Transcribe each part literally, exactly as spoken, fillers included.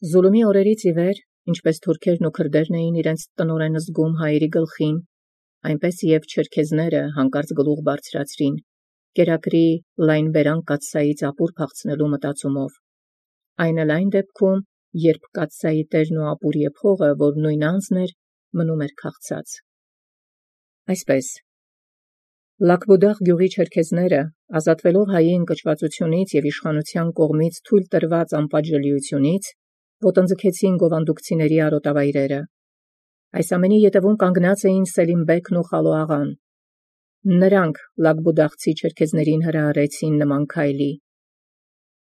Զուլումի օրերից ի վեր, ինչպես թուրքերն ու քրդերն էին իրենց տնօրեն զգում հայերի գլխին, այնպես և չերքեզները հանկարծ գլուխ բարձրացրին, կերակրի լայն բերան կաթսայից ապուր փախցնելու մտածումով։ Այն էլ այն դեպքում, երբ կաթսայի տերն ու ապուր եփողը, որ նույն անձն էր, մնում էր քաղցած։ Այսպես Լաքբուդաղ գյուղի չերքեզները, ազատվելով հայի ընկճվածությունից և իշխանության կողմից թույլ տրված անպատժելիությունից, ոտնձգեցին գովանդուկցիների արոտավայրերը։ Այս ամենի ետևում կանգնած էին Սելիմբեգն ու Խալոաղան։ Նրանք լաքբուդաղցի չերքեզներին հրահրեցին նման քայլի։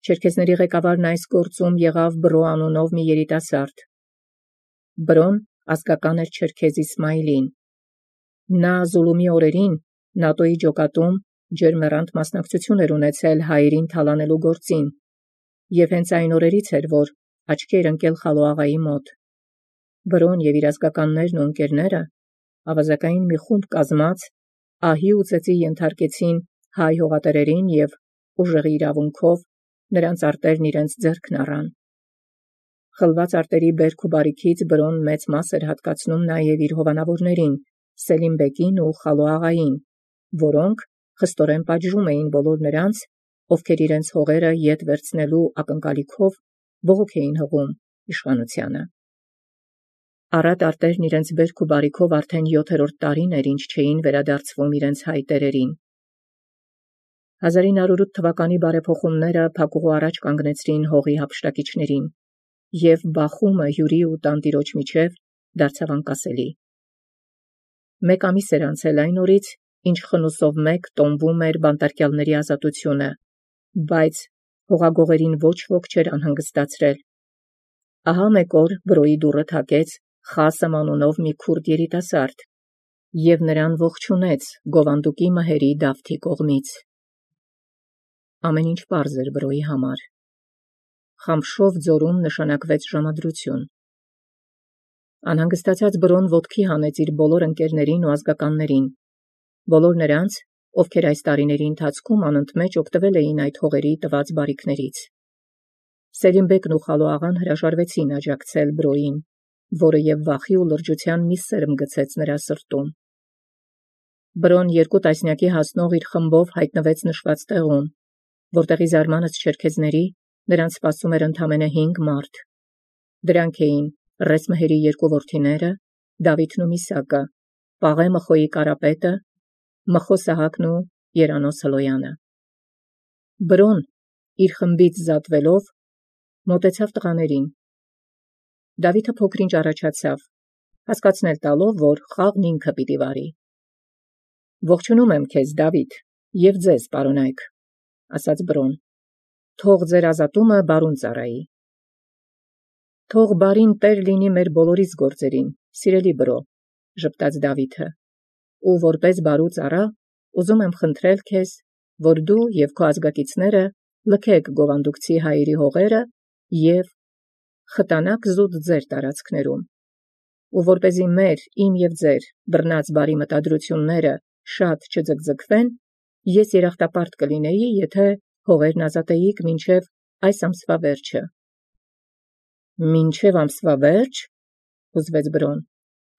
Չերքեզների ղեկավարն այս գործում եղավ Բրո անունով մի երիտասարդ։ Բրոն ազգական էր չերքեզ Իսմայիլին։ Նա Զուլումի օրերին նատոյի ջոկատում ջերմեռանդ մասնակցություն էր ունեցել հայերին թալանելու գործին, և հենց այն օրերից էր, որ աչքի էր ընկել Խալոաղայի մոտ։ Բրոն և իր ազգականներն ու ընկերները ավազակային մի խումբ կազմած ահի ու ծեծի ենթարկեցին հայ հողատերերին և ուժեղի իրավունքով նրանց արտերն իրենց ձեռքն առան։ Խլված արտերի բերք ու բարիքից Բրոն մեծ մաս էր հատկացնում նաև իր հովանավորներին Սելիմբեգին ու Խալոաղային, որոնք խստորեն պատժում էին բոլոր նրանց, ովքեր իրենց հողերը ետ վերցնելու ակնկալիքով բողոք էին հղում իշխանությանը։ Առատ արտերն իրենց բերք ու բարիքով արդեն յոթերորդ տարին էր, ինչ չէին վերադարձվում իրենց հայ տերերին։ հազար ինը հարյուր ութ թվականի բարեփոխումները փակուղու առաջ կանգնեցրին հողի հափշտակիչներին, և բախումը հյուրի ու տանտիրոջ միջև դարձավ անկասելի։ Մեկ ամիս էր անցել այն օրից, ինչ խնուսով մեկ տոնվում էր բանտարկյալների ազատությունը, բայց հողագողերին ոչ ոք չէր անհանգստացրել։ Ահա մեկ օր Բրոյի դուռը թակեց Խասեմ անունով մի քուրդ երիտասարդ, և նրան ողջունեց գովանդուկի մհերի Դավթի կողմից։ Ամեն ինչ պարզ էր Բրոյի համար։ Խամշով ձորում նշանակվեց ժամադրություն։ Անհանգստացած Բրոն ոտքի հանեց իր բոլոր ընկերներին ու ազգականներին, բոլոր նրանց, ովքեր այս տարիների ընթացքում անընդմեջ օգտվել էին այդ հողերի տված բարիքներից։ Սելիմբեգն ու Խալոաղան հրաժարվեցին աջակցել Բրոյին, որը և վախի ու լրջության մի սերմ գցեց նրա սրտում։ Բրոն երկու տասնյակի հասնող իր խմբով հայտնվեց նշված տեղում, որտեղ ի զարմանս չերքեզների նրանց սպասում էր ընդամենը հինգ մարդ։ Դրանք էին Ռես մհերի երկու որդիները, Դավիթն ու Միսակը, Պաղե Մխոյի կարապետը, Մխո Սահակն ու Երանոս Հլոյանը։ Բրոն իր խմբից զատվելով մոտեցավ տղաներին։ Դավիթը փոքր-ինչ առաջացավ, հասկացնել տալով, որ խաղն ինքը պիտի վարի։ Ողջունում եմ քեզ, Դավիթ, և ձեզ, պարոնայք, ասաց Բրոն, թող ձեր ազատումը բարուն ծառայի։ Թող բարին տեր լինի մեր բոլորիս գործերին, սիրելի Բրո, ժպտաց Դավիթը, ու որպես բարու ծառա ուզում եմ խնդրել քեզ, որ դու և քո ազգակիցները լքեք գովանդուկցի հայերի հողերը և խտանաք զուտ ձեր տարածքներում, ու որպեսզի մեր, իմ և ձեր բռնած բարի մտադրությունները շատ չձգձգվեն, ես երախտապարտ կլինեի, եթե հողերն ազատեիք մինչև այս ամսվա վերջը։ Մինչև ամսվա վերջ, հուզվեց Բրոն,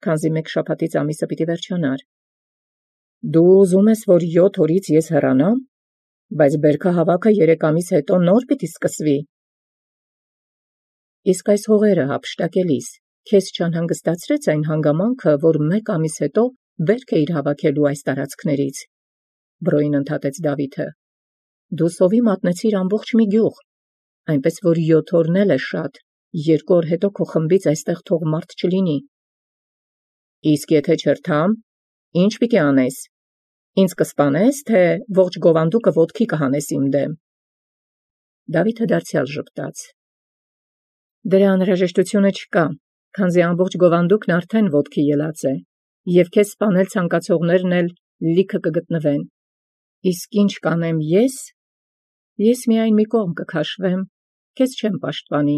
քանզի մեկ շաբաթից ամիսը պիտի վերջանար։ Դու ուզում ես, որ յոթ օրից ես հեռանամ, բայց բերքահավաքը երեք ամիս հետո նոր պիտի սկսվի։ Իսկ այս հողերը հափշտակելիս քեզ չանհանգստացրեց այն հանգամանքը, որ մեկ ամիս հետո բերք էիր հավաքելու այս տարածքներից, Բրոյին ընդհատեց Դավիթը։ Դու սովի մատնեցիր ամբողջ մի գյուղ, այնպես որ յոթ օրն էլ է շատ, երկու օր հետո քո խմբից այստեղ թող մարդ չլինի։ Իսկ եթե չրթամ, ինչ պիտի անես, ինձ կսպանես, թե ողջ գովանդուկը ոտքի կհանես իմ դեմ։ Դավիթը դարձյալ ժպտաց։ Դրա անհրաժեշտությունը չկա, քանզի ամբողջ գովանդուկն արդեն ոտքի ելած է, և քեզ սպանել ցանկացողներն էլ լիքը կգտնվեն։ Իսկ ինչ կանեմ ես, ես միայն մի կողմ կքաշվեմ, քեզ չեմ պաշտպանի,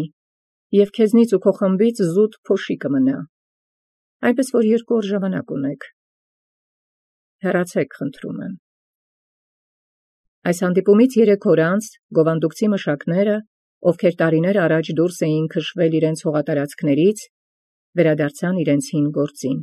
և քեզնից ու քո խմբից զուտ փոշի կմնա, այնպես որ երկու օր ժամանակ ունեք։ Հեռացեք, խնդրում եմ։ Այս հանդիպումից երեք օր անց գովանդուկցի մշակները ովքեր տարիներ առաջ ելան քշվել յիւրեանց հողատարածքացն, վերադարձան յիւրեանց հին գործին։